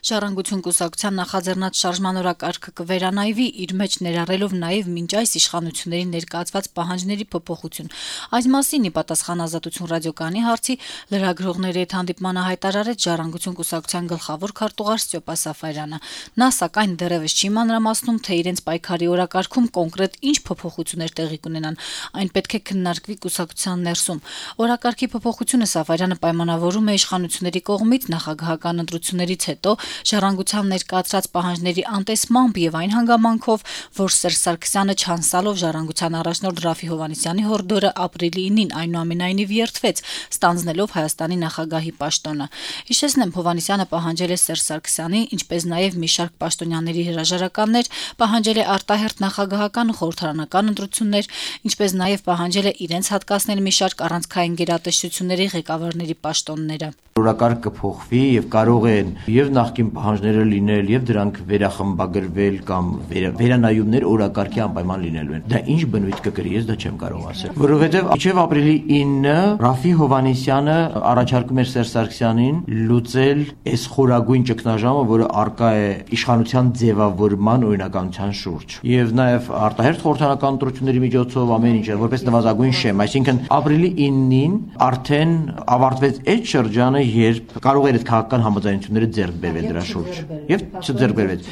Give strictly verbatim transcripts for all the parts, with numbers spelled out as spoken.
Ժառանգություն կուսակցության նախաձեռնած շարժման օրակարգը կվերանայվի, իր մեջ ներառելով նաև մինչ այս իշխանությունների ներկայացված պահանջների փոփոխություն։ Այս մասին ի պատասխան Ազատություն ռադիոկայանի հարցի լրագրողների հետ հանդիպմանը հայտարարեց Ժառանգություն կուսակցության գլխավոր քարտուղար Ստյոպա Սաֆարյանը։ Նա սակայն դեռևս չի մանրամասնում, թե իրենց պայքարի օրակարգում կոնկրետ ինչ փոփոխություններ տեղի կունենան։ Այն պետք է քննարկվի կուսակցության ներսում։ Օրակարգի փոփոխությունը Սաֆարյանը պայմանավորում է իշխանությունների կողմից նախագահական ընտրություններից հետո Ժառանգության ներկայացրած պահանջների անտեսմամբ եւ այն հանգամանքով, որ Սերժ Սարգսյանը չանցալով Ժառանգության առաջնորդ Ռաֆի Հովհաննիսյանի հորդորը ապրիլի ինին այնուամենայնիվ երդվեց, ստանձնելով Հայաստանի նախագահի պաշտոնը։ Հիշեցնեմ, Հովհաննիսյանը պահանջել է Սերժ Սարգսյանի, ինչպես նաեւ մի շարք պաշտոնյաների հրաժարականներ, պահանջել է արտահերթ նախագահական ու խորհրդարանական ընտրություններ, ինչպես նաեւ պահանջել է իրենց հատկացնել մի շարք առանցքային գերատեսչությունների ղեկավարների պաշտոնները։ Օրակարգ կփոխվի եւ կարող են եւ նախկին պահանջները լինել եւ դրանք վերախմբագրվել կամ վերանայումներ օրակարգի անպայման լինելու են։ Դա ինչ բնույթ կկրի, ես դա չեմ կարող ասել, որովհետեւ մինչեւ ապրիլի ինը Ռաֆի Հովհաննիսյանը առաջարկում էր Սերժ Սարգսյանին լուծել այս խորագույն ճգնաժամը, որը արկա է իշխանության ձևավորման օրինականության շուրջ։ Եվ նաեւ արտահերթ խորհրդարանական ընտրությունների միջոցով ամեն ինչ որպես նվազագույն շեմ, այսինքն ապրիլի ինին արդեն ավարտվեց այդ շրջանը, երբ կարող էր այդ քաղաքական համաձայնությունները ձեռք բերվել դրա շուրջ եւ չձեռք բերվեց։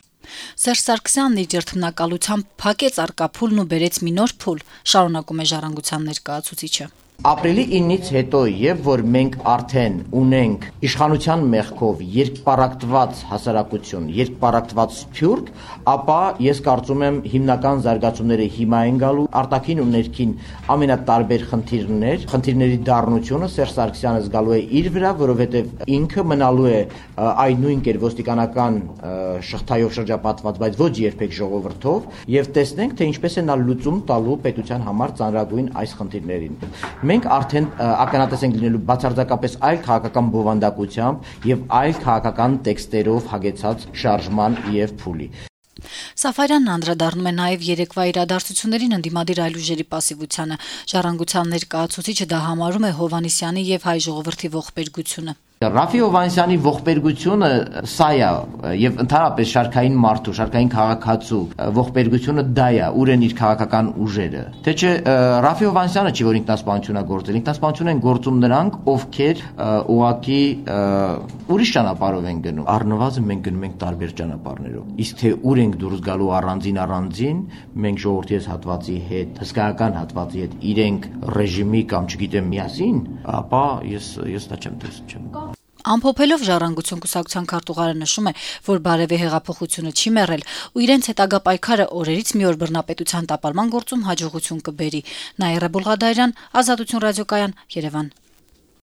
Սերժ Սարգսյանն իր երթմնակալությամբ փակեց արկա փուլն ու բերեց մի նոր փուլ, շարունակում է Ժառանգության ներկայացուցիչը։ Ապրիլի ինից հետո, եւ որ մենք արդեն ունենք իշխանության մեղքով երկպարակտված հասարակություն, երկպարակտված սփյուռք, ապա ես կարծում եմ հիմնական զարգացումները հիմա են գալու, արտաքին ու ներքին ամենատարբեր խնդիրներ, խնդիրների դառնությունը Սերժ Սարգսյանը զգալու է իր վրա, որովհետեւ ինքը մնալու է այն նույն կեր ոստիկանական շղթայով շրջապատված, բայց ոչ երբեք ժողովրդով, եւ տեսնենք, թե ինչպես է նա լուծում տալու պետության համար ծանրագույն այս խնդիրներին։ Մենք արդեն ականատես ենք լինելու բացարձակապես այլ քաղաքական բովանդակությամբ եւ այլ քաղաքական տեքստերով հագեցած շարժման եւ փուլի։ Սաֆարյանն անդրադառնում է նաև երեկվա իրադարձություններին ընդդիմադիր այլ ուժերի պասիվությանը։ Ժառանգության ներկայացուցիչը դա համարում է Հովհաննիսյանի եւ հայ ժողովրդի ողբերգությունը։ Ռաֆի Հովհաննիսյանի ողբերգությունը սա է եւ ընդհանրապես շարքային մարդու, շարքային քաղաքացու ողբերգությունը դա է, ուր են իր քաղաքական ուժերը։ Թե չէ Ռաֆի Հովհաննիսյանը չի որ ինքնասպանություն է գործել, ինքնասպանություն են գործում նրանք, ովքեր ուղակի ուրիշ ճանապարհով են գնում։ Առնվազն մենք գնում ենք տարբեր ճանապարհներով։ Իսկ թե ուր ենք դուրս գալու առանձին առանձին, մենք ժողովրդի հատվածի հետ, հսկայական հատվածի հետ իրենք ռեժիմի կամ չգիտեմ միասին, ապա ես ես դա չեմ տեսնում։ Ամփոփելով Ժառանգություն կուսակցության քարտուղարը նշում է, որ բարևի հեղափոխությունը չի մեռել ու իրենց հետագա պայքարը օրերից մի օր բռնապետության տապալման գործում հաջողություն կբերի։ Նաիրա Բուլղադարյան, Ազատություն ռադիոկայան, Երևան։